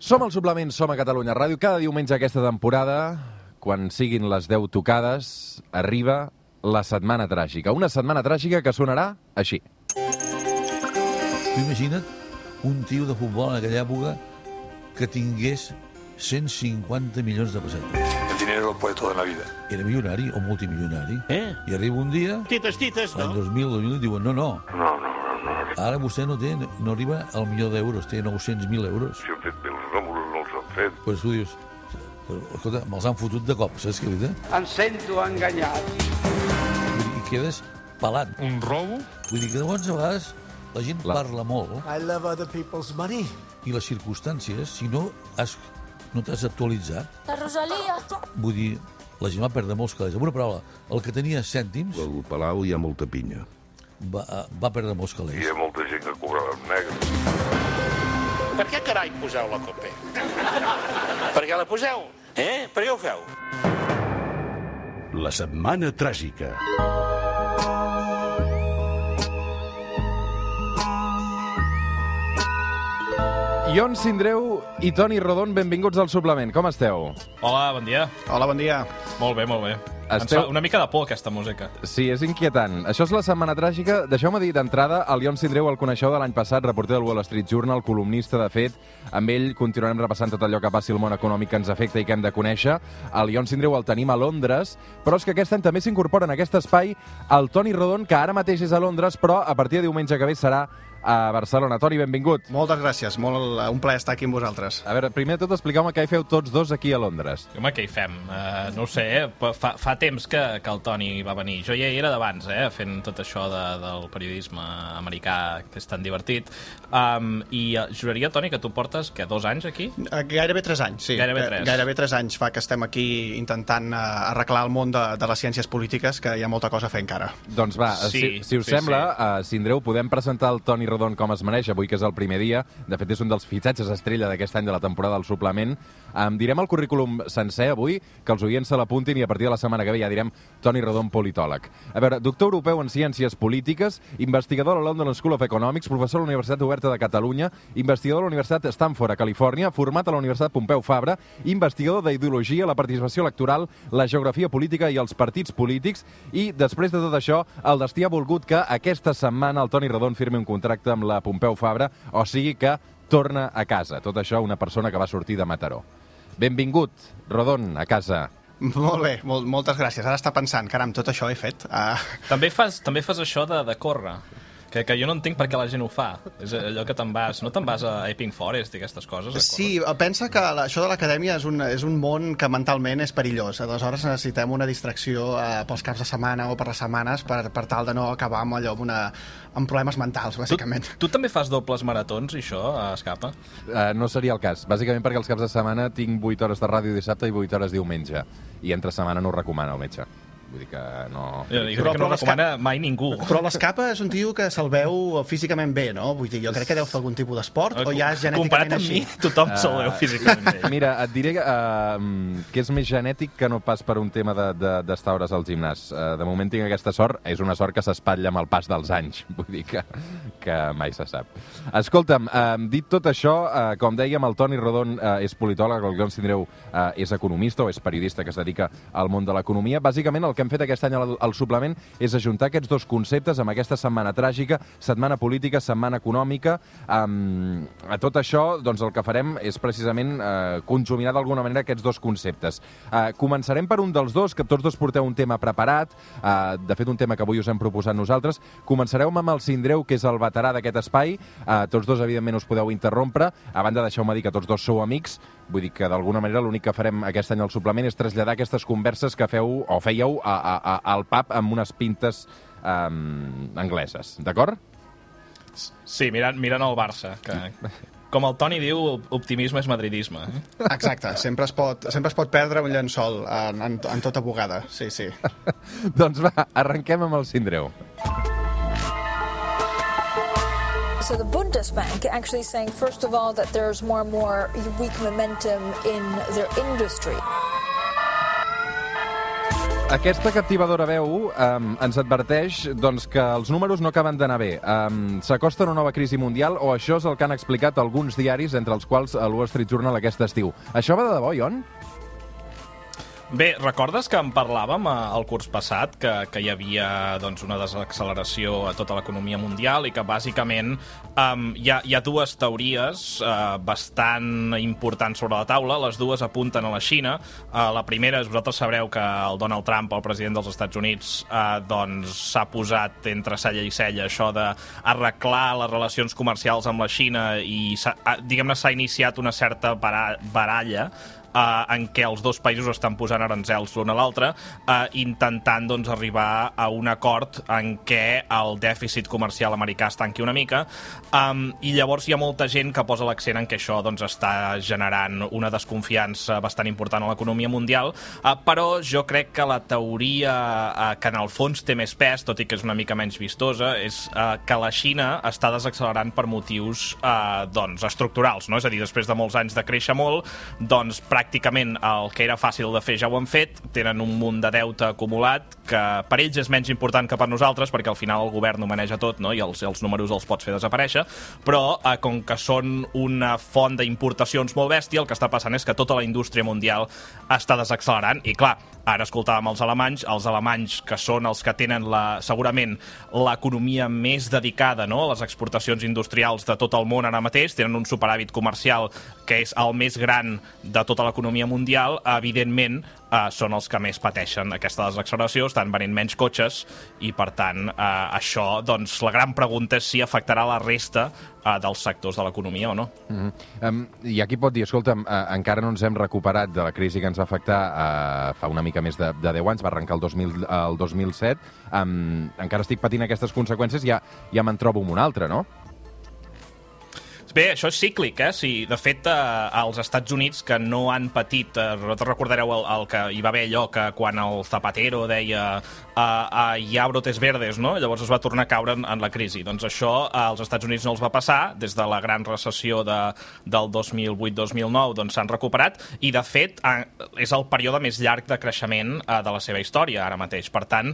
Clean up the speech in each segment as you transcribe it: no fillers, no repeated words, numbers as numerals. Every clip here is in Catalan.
Som al Suplement, som a Catalunya Ràdio. Cada diumenge aquesta temporada, quan siguin les 10 tocades, arriba la Setmana Tràgica. Una setmana tràgica que sonarà així. Tu imagina't un tio de futbol en aquella època que tingués 150 milions de pessetes. El dinero lo puede todo en la vida. Era milionari o multimilionari. I arriba un dia, Tites, l'any no? 2000, diuen, no. No. Ara vostè no arriba al milió d'euros, té 900.000 euros. Si han fet bé els números, no els han fet. Pues tu dius, escolta, me'ls han fotut de cop, saps què vull dir? Em sento enganyat. I quedes pelat. Un robo? Vull dir que llavors a vegades la gent parla molt I love other people's money. i les circumstàncies, si no t'has actualitzat, La Rosalia. vull dir, la gent va perdre molts calés. Amb una paraula, el que tenia cèntims Al Palau hi ha molta pinya. va perdre molts Hi calés. ha molta gent que cobrava en negre. Per què carai poseu la COPE? Per què la poseu? Per què ho feu? La Setmana Tràgica. Ion Sindreu i Toni Rodon, benvinguts al Suplement. Com esteu? Hola, bon dia. Hola, bon dia. Molt bé, molt bé. Ens Esteu- fa una mica de por, aquesta música. Sí, és inquietant. Això és la Setmana Tràgica. Deixeu-me dir d'entrada, el Ion Sindreu el coneixeu de l'any passat, reporter del Wall Street Journal, columnista, de fet. Amb ell continuarem repassant tot allò que passi al món econòmic que ens afecta i que hem de conèixer. El Ion Sindreu el tenim a Londres, però és que aquest any també s'incorpora en aquest espai el Toni Rodon, que ara mateix és a Londres, però a partir de diumenge que ve serà a Barcelona. Toni, benvingut. Moltes gràcies, un plaer estar aquí amb vosaltres. A veure, primer de tot, expliqueu-me què hi feu tots dos aquí a Londres. Home, què hi fem? No ho sé, però fa temps que el Toni va venir. Jo ja hi era d'abans, fent tot això del periodisme americà, que és tan divertit. I juraria, Toni, que tu portes, 2 anys aquí? Gairebé 3 anys, sí. Gairebé 3 anys fa que estem aquí intentant arreglar el món de les ciències polítiques, que hi ha molta cosa a fer encara. Doncs va, Sí, si us sí, sembla, Sindreu, podem presentar el Toni Rodon com es mereix, avui que és el primer dia. De fet, és un dels fitxatges estrella d'aquest any de la temporada del Suplement. Direm el currículum sencer avui, que els oients se l'apuntin i a partir de la setmana que ve ja direm Toni Rodon, politòleg. A veure, doctor europeu en Ciències Polítiques, investigador a la London School of Economics, professor a la Universitat Oberta de Catalunya, investigador a la Universitat Stanford, a Califòrnia, format a la Universitat Pompeu Fabra, investigador d'ideologia, la participació electoral, la geografia política i els partits polítics, i després de tot això, el destí ha volgut que aquesta setmana el Toni Rodon firmi un contracte amb la Pompeu Fabra, o sigui que torna a casa. Tot això una persona que va sortir de Mataró. Benvingut, Rodon, a casa. Molt bé, moltes gràcies. Ara està pensant, caram, tot això he fet. També fas això de córrer, que jo no entenc per què la gent ho fa. És allò que no te'n vas a Epping Forest i aquestes coses? Sí, pensa que això de l'acadèmia és un món que mentalment és perillós. Aleshores necessitem una distracció pels caps de setmana o per les setmanes per tal de no acabar amb allò amb problemes mentals, bàsicament. Tu també fas dobles maratons, i això, escapa? No seria el cas, bàsicament perquè els caps de setmana tinc 8 hores de ràdio dissabte i 8 hores diumenge, i entre setmana no ho recomana el metge. Vull dir que no... Jo crec que no recomana mai ningú. Però l'Escapa és un tio que se'l veu físicament bé, no? Vull dir, jo crec que deu fer algun tipus d'esport o ja és genèticament així. Comparat amb mi, tothom se'l veu físicament bé. Mira, et diré que és més genètic que no pas per un tema d'estar hores al gimnàs. De moment tinc aquesta sort, és una sort que s'espatlla amb el pas dels anys, vull dir que mai se sap. Escolta'm, dit tot això, com dèiem, el Toni Rodon és politòleg, el Ion Sindreu és economista o és periodista que es dedica al món de l'economia. Bàsicament, el que hem fet aquest any al Suplement és ajuntar aquests dos conceptes amb aquesta setmana tràgica, setmana política, setmana econòmica. A tot això, doncs, el que farem és precisament conjuminar d'alguna manera aquests dos conceptes. Començarem per un dels dos, que tots dos porteu un tema preparat, de fet un tema que avui us hem proposat nosaltres. Començareu amb el Sindreu, que és el veterà d'aquest espai. Tots dos, evidentment, us podeu interrompre. A banda, deixeu-me dir que tots dos sou amics. Vull dir que, d'alguna manera, l'únic que farem aquest any al Suplement és traslladar aquestes converses que feu o fèieu al pub amb unes pintes angleses. D'acord? Sí, mirant el Barça, que... Com el Toni diu, optimisme és madridisme. Exacte, sempre es pot perdre un llençol en tota bugada, sí. Doncs va, arrenquem amb el Sindreu. So the Bundesbank actually saying, first of all, that there's more and more weak momentum in their industry. Aquesta captivadora veu ens adverteix doncs, que els números no acaben d'anar bé. S'acosta una nova crisi mundial o això és el que han explicat alguns diaris, entre els quals el Wall Street Journal aquest estiu. Això va de debò, Ion? Bé, recordes que en parlàvem el curs passat, que hi havia doncs, una desacceleració a tota l'economia mundial i que bàsicament hi ha dues teories bastant importants sobre la taula. Les dues apunten a la Xina. La primera és, vosaltres sabreu que el Donald Trump, el president dels Estats Units, doncs s'ha posat entre cella i cella això d'arreglar les relacions comercials amb la Xina i diguem-ne s'ha iniciat una certa baralla en què els dos països estan posant aranzels l'un a l'altre, intentant doncs, arribar a un acord en què el dèficit comercial americà es tanqui una mica, i llavors hi ha molta gent que posa l'accent en que això doncs, està generant una desconfiança bastant important a l'economia mundial, però jo crec que la teoria que en el fons té més pes, tot i que és una mica menys vistosa, és que la Xina està desaccelerant per motius doncs, estructurals, no? És a dir, després de molts anys de créixer molt, doncs pràcticament el que era fàcil de fer ja ho han fet, tenen un munt de deute acumulat que per ells és menys important que per nosaltres perquè al final el govern ho maneja tot, no? I els números els pots fer desaparèixer, però com que són una font d'importacions molt bèstia, el que està passant és que tota la indústria mundial està desaccelerant i clar, ara escoltàvem els alemanys que són els que tenen segurament l'economia més dedicada, no? A les exportacions industrials de tot el món ara mateix, tenen un superàvit comercial que és el més gran de tota l'economia mundial, evidentment són els que més pateixen aquesta desacceleració, estan venent menys cotxes i per tant això, doncs la gran pregunta és si afectarà la resta dels sectors de l'economia o no. I aquí pot dir, escolta'm, encara no ens hem recuperat de la crisi que ens va afectar fa una mica més de 10 anys, va arrencar el 2007, encara estic patint aquestes conseqüències, ja me'n trobo amb una altra, no? Bé, això és cíclic, sí. De fet, als Estats Units, que no han patit... Vosaltres recordareu el que hi va haver allò que quan el Zapatero deia hi ha brotes verdes, no? Llavors es va tornar a caure en la crisi. Doncs això als Estats Units no els va passar. Des de la gran recessió del 2008-2009 doncs s'han recuperat i, de fet, és el període més llarg de creixement de la seva història ara mateix. Per tant,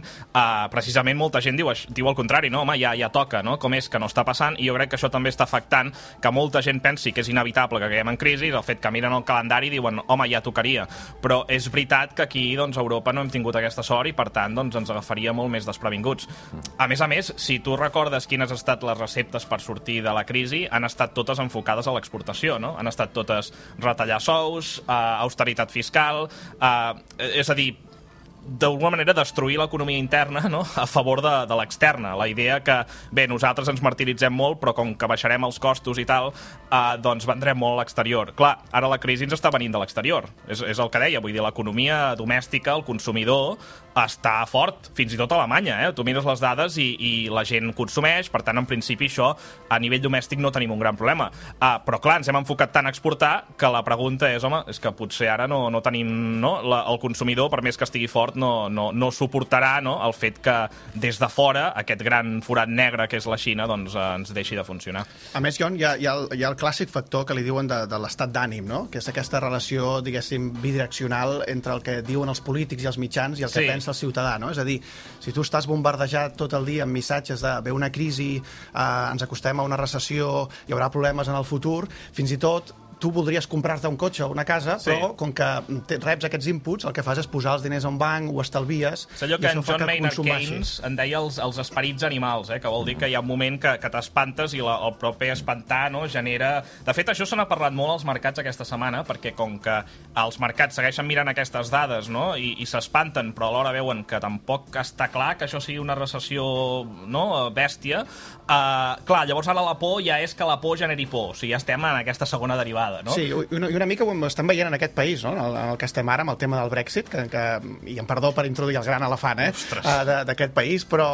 precisament molta gent diu el contrari, no? Home, ja toca, no? Com és que no està passant? I jo crec que això també està afectant que molta gent pensi que és inevitable que caiguem en crisi, el fet que miren el calendari i diuen, home, ja tocaria. Però és veritat que aquí, doncs, a Europa no hem tingut aquesta sort i, per tant, doncs, ens agafaria molt més desprevinguts. A més, si tu recordes quines han estat les receptes per sortir de la crisi, han estat totes enfocades a l'exportació, no? Han estat totes retallar sous, austeritat fiscal, és a dir, d'alguna manera destruir l'economia interna, no? A favor de l'externa. La idea que, bé, nosaltres ens martiritzem molt, però com que baixarem els costos i tal, doncs vendrem molt a l'exterior. Clar, ara la crisi ens està venint de l'exterior. És el que deia, vull dir, l'economia domèstica, el consumidor, està fort, fins i tot a Alemanya, Tu mires les dades i la gent consumeix, per tant, en principi, això, a nivell domèstic no tenim un gran problema. Però, clar, ens hem enfocat tant a exportar que la pregunta és, home, és que potser ara no tenim, no? El consumidor, per més que estigui fort, no suportarà, no? El fet que des de fora aquest gran forat negre que és la Xina doncs ens deixi de funcionar. A més, Jon, hi ha el clàssic factor que li diuen de l'estat d'ànim, no? Que és aquesta relació, diguéssim, bidireccional entre el que diuen els polítics i els mitjans i el que pensa el ciutadà, no? És a dir, si tu estàs bombardejat tot el dia amb missatges de ve una crisi, ens acostem a una recessió, hi haurà problemes en el futur, fins i tot tu voldries comprar-te un cotxe o una casa, però com que reps aquests inputs, el que fas és posar els diners a un banc, ho estalvies... És allò que en John Maynard Keynes en deia els esperits animals, que vol dir que hi ha un moment que t'espantes i el propi espantar genera... De fet, això se n'ha parlat molt als mercats aquesta setmana, perquè com que els mercats segueixen mirant aquestes dades i s'espanten, però alhora veuen que tampoc està clar que això sigui una recessió bèstia, clar, llavors ara la por ja és que la por generi por, o sigui, ja estem en aquesta segona derivada. No? Sí, i una mica ho estem veient en aquest país, no? En el que estem ara, amb el tema del Brexit, i em perdó per introduir el gran elefant d'aquest país, però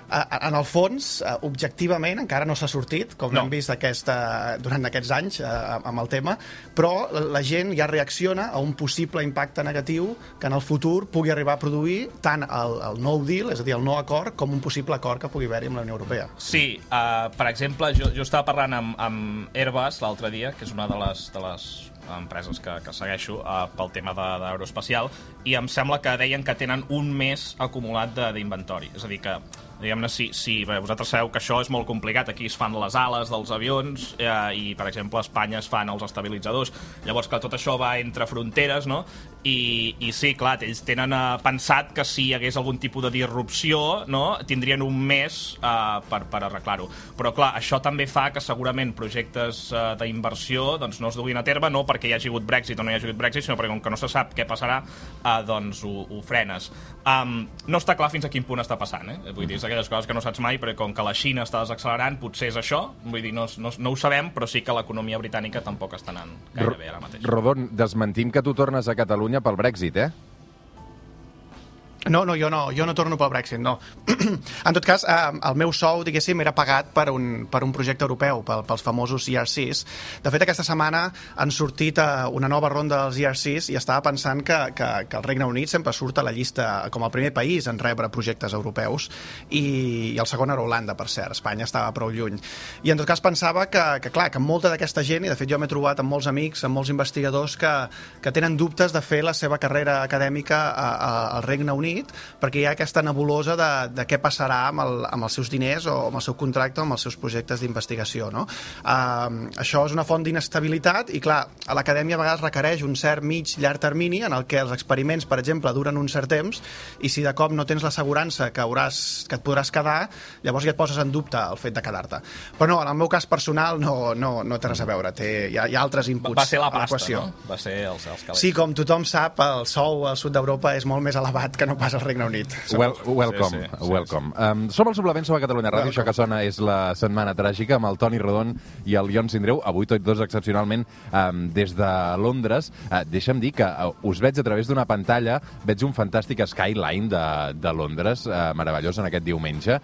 en el fons, objectivament, encara no s'ha sortit, com hem vist durant aquests anys amb el tema, però la gent ja reacciona a un possible impacte negatiu que en el futur pugui arribar a produir tant el no deal, és a dir, el no acord, com un possible acord que pugui haver-hi amb la Unió Europea. Sí, per exemple, jo estava parlant amb Airbus l'altre dia, que és una de les empreses que segueixo pel tema d'aeroespacial, i em sembla que deien que tenen un mes acumulat d'inventori. És a dir, que diguem-ne, si vosaltres sabeu que això és molt complicat, aquí es fan les ales dels avions i, per exemple, a Espanya es fan els estabilitzadors, llavors que tot això va entre fronteres, no? I sí, clar, ells tenen pensat que si hi hagués algun tipus de disrupció, no, tindrien un mes per arreglar-ho. Però, clar, això també fa que segurament projectes d'inversió doncs, no es duguin a terme, no perquè hi hagi hagut Brexit o no hi hagi hagut Brexit, sinó perquè com que no se sap què passarà, doncs ho frenes. No està clar fins a quin punt està passant, vull dir, és aquelles coses que no saps mai, perquè com que la Xina està desaccelerant, potser és això, vull dir, no ho sabem, però sí que l'economia britànica tampoc està anant gaire bé ara mateix. Rodon, desmentim que tu tornes a Catalunya pel Brexit, No, jo no torno pel Brexit, no. En tot cas, el meu sou, diguéssim, era pagat per un projecte europeu, pels famosos ERCs. De fet, aquesta setmana han sortit una nova ronda dels ERCs i estava pensant que el Regne Unit sempre surt a la llista com el primer país en rebre projectes europeus i el segon era Holanda, per cert. Espanya estava prou lluny. I en tot cas pensava que molta d'aquesta gent, i de fet jo m'he trobat amb molts amics, amb molts investigadors que tenen dubtes de fer la seva carrera acadèmica al Regne Unit, perquè hi ha aquesta nebulosa de què passarà amb els seus diners o amb el seu contracte o amb els seus projectes d'investigació, no? Això és una font d'inestabilitat i, clar, a l'acadèmia a vegades requereix un cert llarg termini en el que els experiments, per exemple, duren un cert temps i si de cop no tens l'assegurança que et podràs quedar, llavors ja et poses en dubte el fet de quedar-te. Però no, en el meu cas personal no té res a veure, hi ha altres inputs. Va ser la pasta, no? Va ser els calés. Sí, com tothom sap, el sou al sud d'Europa és molt més elevat que no pas al Regne Unit. Welcome. Som al Suplement, som a Catalunya Ràdio, això que sona és la Setmana Tràgica amb el Toni Rodon i el Ion Sindreu, avui tots dos excepcionalment des de Londres. Deixa'm dir que us veig a través d'una pantalla, veig un fantàstic skyline de Londres, meravellós en aquest diumenge,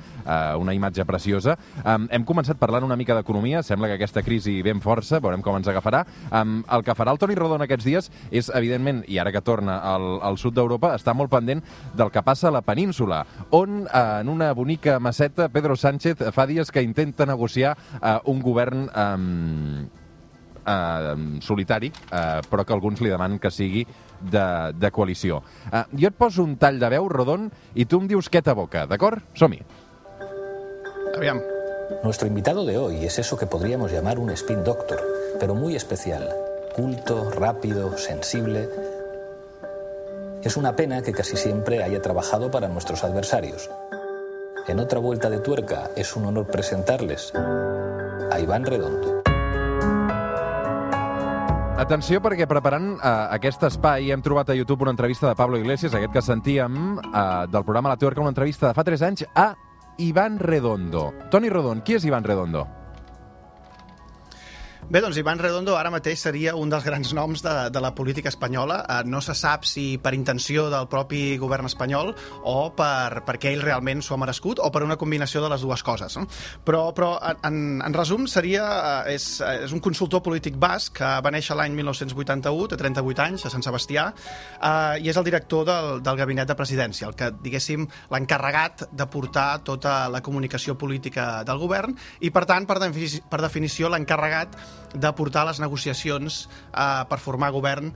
una imatge preciosa. Hem començat parlant una mica d'economia, sembla que aquesta crisi ve amb força, veurem com ens agafarà. El que farà el Toni Rodon aquests dies és, evidentment, i ara que torna al sud d'Europa, està molt pendent del que passa a la península, on en una bonica maceta Pedro Sánchez fa dies que intenta negociar un govern solitari, però que alguns li demanen que sigui de coalició. Jo et poso un tall de veu, Rodon, i tu em dius què t'aboca, d'acord? Som-hi. Aviam. Nuestro invitado de hoy es eso que podríamos llamar un spin doctor, pero muy especial, culto, rápido, sensible. Es una pena que casi siempre haya trabajado para nuestros adversarios. En otra vuelta de tuerca es un honor presentarles a Iván Redondo. Atenció, perquè preparant aquest espai hem trobat a YouTube una entrevista de Pablo Iglesias, aquest que sentíem del programa La Tuerca, una entrevista de fa 3 anys a Iván Redondo. Toni Rodon, qui és Iván Redondo? Bé, doncs Iván Redondo ara mateix seria un dels grans noms de la política espanyola. No se sap si per intenció del propi govern espanyol o perquè ell realment s'ho ha merescut o per una combinació de les dues coses. No? Però en resum, és un consultor polític basc que va néixer l'any 1981, té 38 anys, a Sant Sebastià, i és el director del gabinet de presidència, el que, diguéssim, l'encarregat de portar tota la comunicació política del govern i, per tant, per definició, l'encarregat de portar les negociacions per formar govern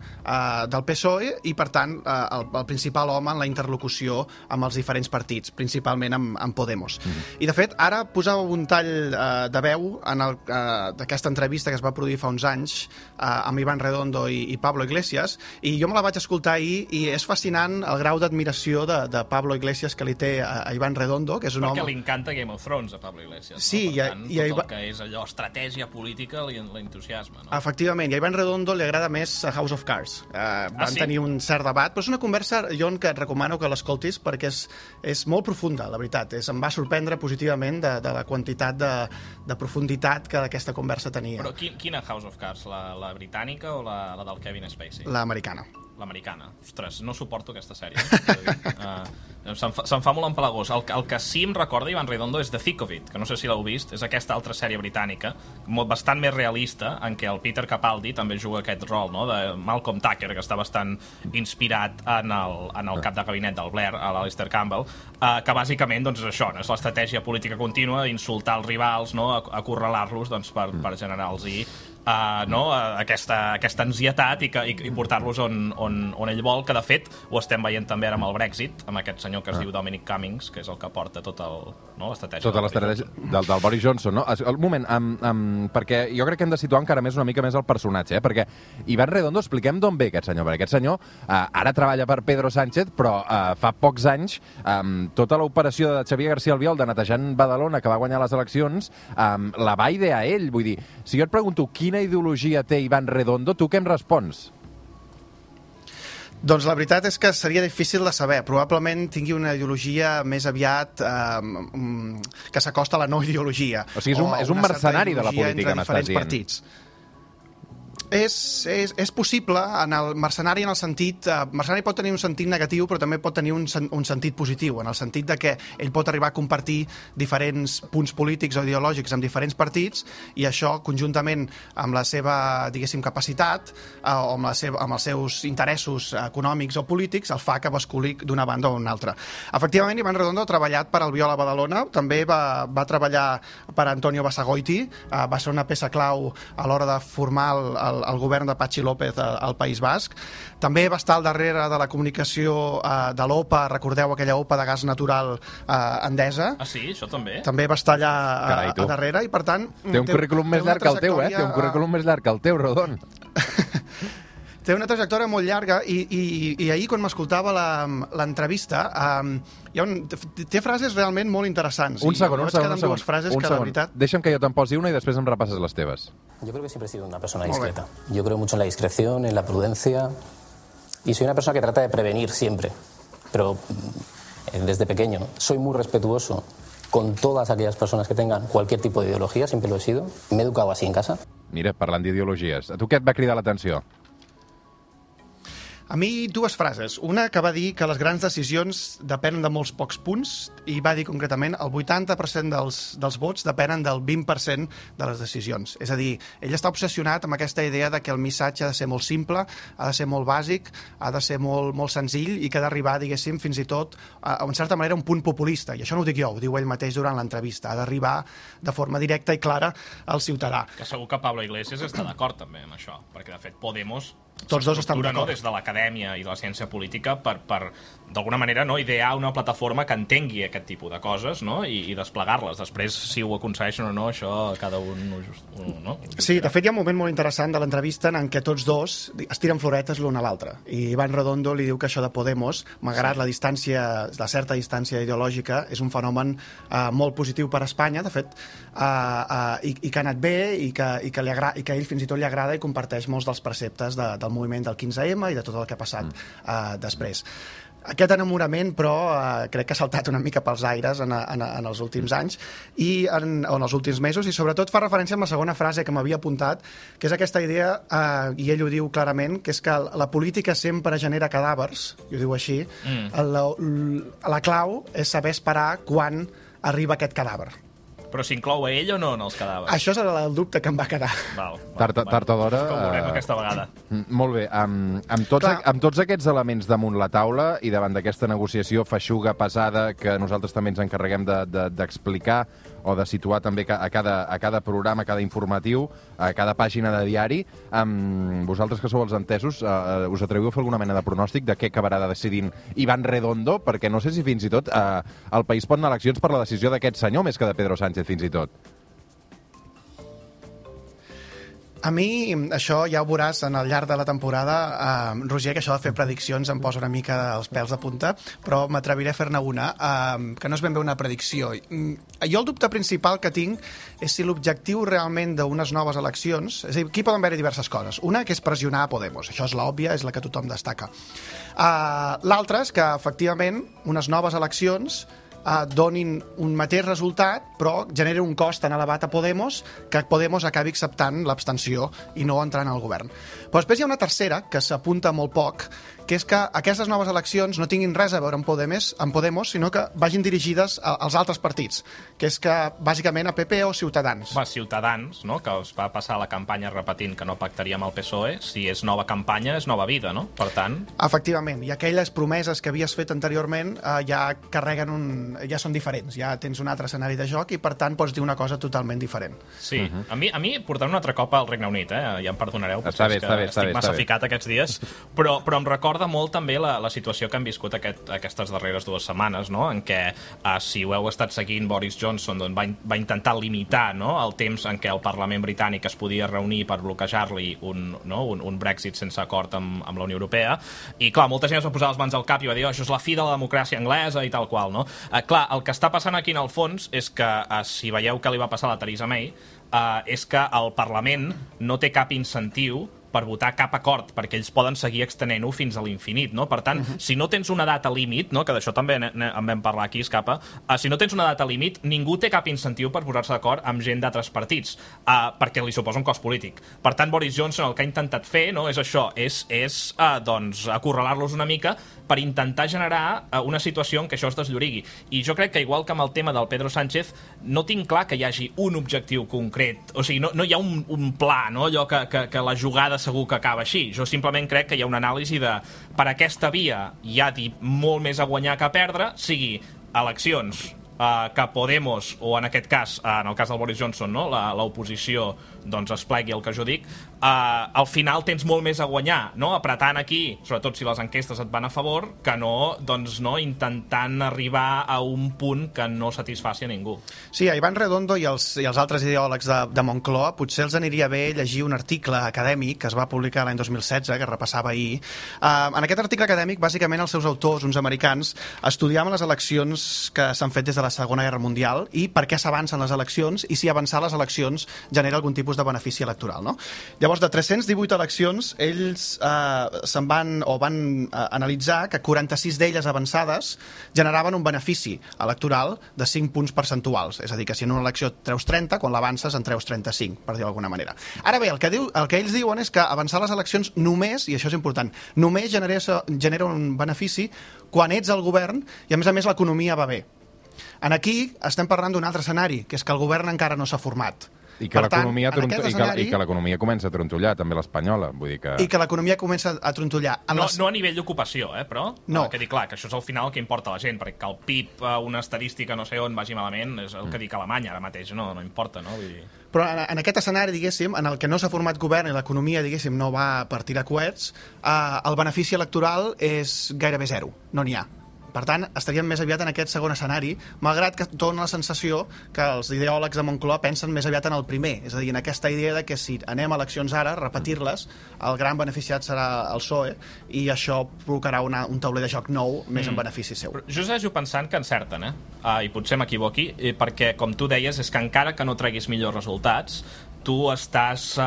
del PSOE i, per tant, el principal home en la interlocució amb els diferents partits, principalment amb Podemos. I, de fet, ara posava un tall de veu d'aquesta entrevista que es va produir fa uns anys amb Iván Redondo i Pablo Iglesias, i jo me la vaig escoltar ahir i és fascinant el grau d'admiració de Pablo Iglesias que li té a Iván Redondo, que és un home... Perquè li encanta Game of Thrones a Pablo Iglesias. Sí, no? Per tant, tot el que és allò, estratègia política, li l'entusiasme, no? Efectivament, i a Iván Redondo li agrada més House of Cards. Van tenir un cert debat, però és una conversa, Jon, que et recomano que l'escoltis perquè és molt profunda, la veritat. Em va sorprendre positivament de la quantitat de profunditat que aquesta conversa tenia. Però quina House of Cards? La britànica o la del Kevin Spacey? L'americana. L'americana. Ostres, no suporto aquesta sèrie. Se'm fa molt empalagós. El que sí em recorda Iván Redondo és The Thick of It, que no sé si l'heu vist, és aquesta altra sèrie britànica, bastant més realista, en què el Peter Capaldi també juga aquest rol, no?, de Malcolm Tucker, que està bastant inspirat en el cap de gabinet del Blair, a l'Alistair Campbell, que bàsicament doncs, és això, no? És l'estratègia política contínua d'insultar els rivals, no?, acorralar-los doncs, per generar-los aquesta ansietat i portar-los on ell vol, que de fet ho estem veient també ara amb el Brexit, amb aquest senyor que es diu Dominic Cummings, que és el que porta l'estratègia. Tota l'estratègia del Boris Johnson, no? Un moment, perquè jo crec que hem de situar encara una mica més el personatge, perquè Iván Redondo, expliquem d'on ve aquest senyor, perquè aquest senyor ara treballa per Pedro Sánchez, però fa pocs anys tota l'operació de Xavier García Albiol de netejant Badalona, que va guanyar les eleccions, la va idear ell. Vull dir, si jo et pregunto quina ideologia té Iván Redondo, tu què em respons? Doncs la veritat és que seria difícil de saber. Probablement tingui una ideologia més aviat que s'acosta a la no ideologia. O sigui, és un mercenari de la política, m'estàs dient. Partits. És possible, en el mercenari en el sentit... mercenari pot tenir un sentit negatiu, però també pot tenir un sentit positiu, en el sentit de que ell pot arribar a compartir diferents punts polítics o ideològics amb diferents partits, i això, conjuntament amb la seva, diguéssim, capacitat o amb els seus interessos econòmics o polítics, el fa que basculi d'una banda o una altra. Efectivament, Iván Redondo ha treballat per Albiol a Badalona, també va treballar per Antonio Basagoiti, va ser una peça clau a l'hora de formar el govern de Patxi López al País Basc. També va estar al darrere de la comunicació de l'OPA, recordeu aquella OPA de gas natural Endesa? Ah, sí? Això també? També va estar allà a darrere i, per tant... Té un currículum més llarg que el teu, Té un currículum més llarg que el teu, Rodon. Té una trajectòria molt llarga i ahir, quan m'escoltava l'entrevista, té frases realment molt interessants. Un segon. Veritat... Deixa'm que jo te'n posi una i després em repasses les teves. Yo creo que siempre he sido una persona discreta. Yo creo mucho en la discreción, en la prudencia, y soy una persona que trata de prevenir siempre, pero desde pequeño. Soy muy respetuoso con todas aquellas personas que tengan cualquier tipo de ideología, siempre lo he sido. Me he educado así en casa. Mira, parlant d'ideologies, a tu què et va cridar l'atenció? A mi, dues frases. Una que va dir que les grans decisions depenen de molts pocs punts, i va dir concretament el 80% dels vots depenen del 20% de les decisions. És a dir, ell està obsessionat amb aquesta idea de que el missatge ha de ser molt simple, ha de ser molt bàsic, ha de ser molt, molt senzill, i que ha d'arribar, diguéssim, fins i tot, en certa manera, un punt populista. I això no ho dic jo, ho diu ell mateix durant l'entrevista. Ha d'arribar de forma directa i clara al ciutadà. Que segur que Pablo Iglesias està d'acord també amb això, perquè de fet Podemos tots dos estan d'acord. Des de l'acadèmia i de la ciència política per d'alguna manera, no, idear una plataforma que entengui aquest tipus de coses, no, i desplegar-les. Després, si ho aconsegueixen o no, això cada un no? Sí, de fet hi ha un moment molt interessant de l'entrevista en què tots dos es tiren floretes l'un a l'altre. I Iván Redondo li diu que això de Podemos, malgrat la certa distància ideològica, és un fenomen molt positiu per a Espanya, de fet, i que ha anat bé, i que a ell fins i tot li agrada i comparteix molts dels preceptes del moviment del 15M i de tot el que ha passat després. Aquest enamorament, però, crec que ha saltat una mica pels aires en els últims anys i en els últims mesos, i sobretot fa referència a la segona frase que m'havia apuntat, que és aquesta idea, i ell ho diu clarament, que és que la política sempre genera cadàvers, i ho diu així. La clau és saber esperar quan arriba aquest cadàver. Però s'inclou a ell o no en els cadàvers? Això és el dubte que em va quedar. Tard o d'hora... Com veurem aquesta vegada. Molt bé. Amb tots aquests elements damunt la taula i davant d'aquesta negociació feixuga, pesada, que nosaltres també ens encarreguem d'explicar o de situar també a cada programa, a cada informatiu, a cada pàgina de diari, vosaltres que sou els entesos, us atreviu a fer alguna mena de pronòstic de què acabarà decidint Iván Redondo? Perquè no sé si fins i tot el país pot anar a eleccions per la decisió d'aquest senyor més que de Pedro Sánchez, fins i tot. A mi, això ja ho veuràs al llarg de la temporada, Roger, que això de fer prediccions em posa una mica els pèls de punta, però m'atreviré a fer-ne una, que no és ben bé una predicció. Jo el dubte principal que tinc és si l'objectiu realment d'unes noves eleccions... És a dir, aquí poden haver-hi diverses coses. Una, que és pressionar a Podemos. Això és l'òbvia, és la que tothom destaca. L'altra és que, efectivament, unes noves eleccions donin un mateix resultat, però generi un cost tan elevat a Podemos que Podemos acabi acceptant l'abstenció i no entrant al govern. Però després hi ha una tercera, que s'apunta molt poc, que és que aquestes noves eleccions no tinguin res a veure amb Podemos, sinó que vagin dirigides als altres partits, que és que, bàsicament, a PP o Ciutadans. Ciutadans, no?, que es va passar la campanya repetint que no pactaria amb el PSOE, si és nova campanya, és nova vida, no? Per tant... Efectivament, i aquelles promeses que havies fet anteriorment ja carreguen ja són diferents, ja tens un altre escenari de joc i, per tant, pots dir una cosa totalment diferent. Sí, a mi portant un altre cop al Regne Unit, ja em perdonareu, està bé, estic massa ficat aquests dies, però em recorda molt també la situació que han viscut aquestes darreres 2 setmanes, no?, en què, si ho heu estat seguint, Boris Johnson va intentar limitar, no?, el temps en què el Parlament britànic es podia reunir per bloquejar-li un Brexit sense acord amb la Unió Europea, i clar, molta gent es va posar les mans al cap i va dir, això és la fi de la democràcia anglesa i tal qual, no? Clar, el que està passant aquí en el fons és que, si veieu què li va passar a la Theresa May, és que el Parlament no té cap incentiu per votar cap acord, perquè ells poden seguir extenent-ho fins a l'infinit, no? Per tant, si no tens una data límit, no?, que d'això també en vam parlar aquí, Escapa, si no tens una data límit, ningú té cap incentiu per posar-se d'acord amb gent d'altres partits, perquè li suposa un cost polític. Per tant, Boris Johnson el que ha intentat fer, no?, és això, és acorralar-los una mica per intentar generar una situació en què això es desllorigui. I jo crec que, igual que amb el tema del Pedro Sánchez, no tinc clar que hi hagi un objectiu concret, o sigui, no hi ha un pla, no?, allò que la jugada segur que acaba així. Jo simplement crec que hi ha una anàlisi de per aquesta via hi ha molt més a guanyar que a perdre, sigui eleccions que Podemos, o en aquest cas, en el cas del Boris Johnson, no?, l'oposició es plegui el que jo dic, al final tens molt més a guanyar, no?, apretant aquí, sobretot si les enquestes et van a favor, que no intentant arribar a un punt que no satisfaci a ningú. Sí, a Iván Redondo i els altres ideòlegs de Moncloa potser els aniria bé llegir un article acadèmic que es va publicar l'any 2016, que repassava ahir. En aquest article acadèmic, bàsicament, els seus autors, uns americans, estudiaven les eleccions que s'han fet des de la Segona Guerra Mundial i per què s'avancen les eleccions i si avançar les eleccions genera algun tipus de benefici electoral, no? Llavors, de 318 eleccions, ells van analitzar que 46 d'elles avançades generaven un benefici electoral de 5 punts percentuals. És a dir, que si en una elecció treus 30, quan l'avances en treus 35, per dir-ho d'alguna manera. Ara bé, el que ells diuen és que avançar les eleccions només, i això és important, només genera un benefici quan ets al govern i, a més, l'economia va bé. Aquí estem parlant d'un altre escenari, que és que el govern encara no s'ha format. I que l'economia comença a trontollar, també l'espanyola. I que l'economia comença a trontollar. No a nivell d'ocupació, però no. Que dic, clar, que això és al final el que importa a la gent, perquè que el PIB, una estadística no sé on vagi malament, és el que dic Alemanya ara mateix, no importa, no? Vull dir... Però en aquest escenari, diguéssim, en el que no s'ha format govern i l'economia, diguéssim, no va per tirar coets, el benefici electoral és gairebé zero, no n'hi ha. Per tant, estaríem més aviat en aquest segon escenari, malgrat que dona la sensació que els ideòlegs de Moncloa pensen més aviat en el primer, és a dir, en aquesta idea de que si anem a eleccions ara, repetir-les, el gran beneficiat serà el PSOE i això provocarà un tauler de joc nou més en benefici seu. Jo segueixo pensant que encerten, i potser m'equivoqui, perquè, com tu deies, és que encara que no treguis millors resultats, tu estàs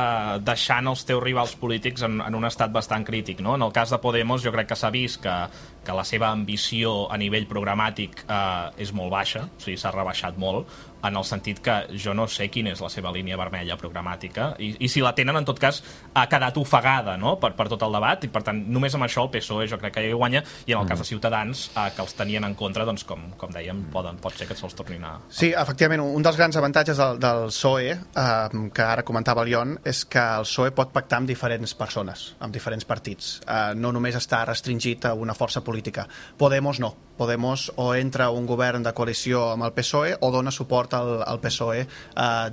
deixant els teus rivals polítics en un estat bastant crític, no? En el cas de Podemos jo crec que s'ha vist que la seva ambició a nivell programàtic és molt baixa, o sigui, s'ha rebaixat molt, en el sentit que jo no sé quina és la seva línia vermella programàtica i si la tenen, en tot cas, ha quedat ofegada, no?, per tot el debat, i per tant només amb això el PSOE jo crec que hi guanya, i en el cas de Ciutadans, que els tenien en contra, doncs com dèiem, pot ser que se'ls tornin a... Sí, efectivament, un dels grans avantatges del PSOE, que ara comentava el Ion, és que el PSOE pot pactar amb diferents persones, amb diferents partits, no només està restringit a una força política. Podemos no. Podemos o entra un govern de coalició amb el PSOE o dona suport al PSOE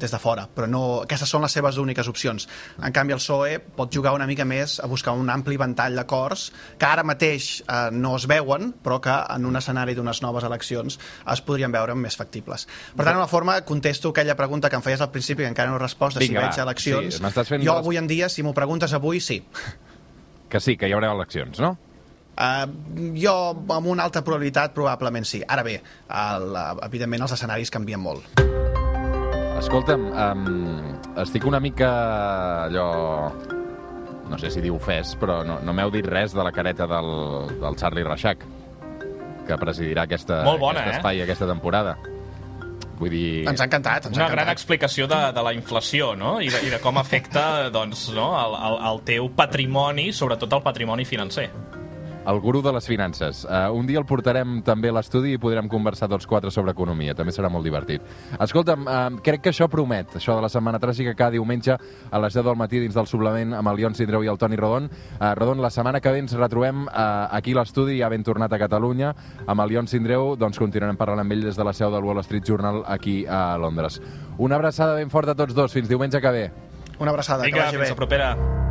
des de fora, però no, aquestes són les seves úniques opcions. En canvi, el PSOE pot jugar una mica més a buscar un ampli ventall d'acords que ara mateix no es veuen, però que en un escenari d'unes noves eleccions es podrien veure més factibles. Per tant, en la forma, contesto aquella pregunta que em feies al principi, que encara no he respost, de si veig eleccions. Sí, jo avui en dia, si m'ho preguntes avui, sí. Que sí, que hi haurà eleccions, no? Jo, amb una alta probabilitat, probablement sí. Ara bé, evidentment els escenaris canvien molt. Escolta'm, estic una mica allò... No sé si dir ofès, però no m'heu dit res de la careta del Charlie Reixac, que presidirà aquest espai aquesta temporada. Vull dir... Ens ha encantat. Una gran explicació de la inflació, no? I de com afecta doncs, no? el teu patrimoni, sobretot el patrimoni financer. El gurú de les finances. Un dia el portarem també a l'estudi i podrem conversar tots quatre sobre economia. També serà molt divertit. Escolta'm, crec que això promet, això de la Setmana Tràgica, cada diumenge a les 10 del matí dins del suplement amb el Ion Sindreu i el Toni Rodon. Rodon, la setmana que ve ens retrobem aquí a l'estudi, ja ben tornat a Catalunya. Amb el Ion Sindreu doncs continuarem parlant amb ell des de la seu del Wall Street Journal aquí a Londres. Una abraçada ben forta a tots dos. Fins diumenge que ve. Una abraçada, que vagi bé. Fins la propera.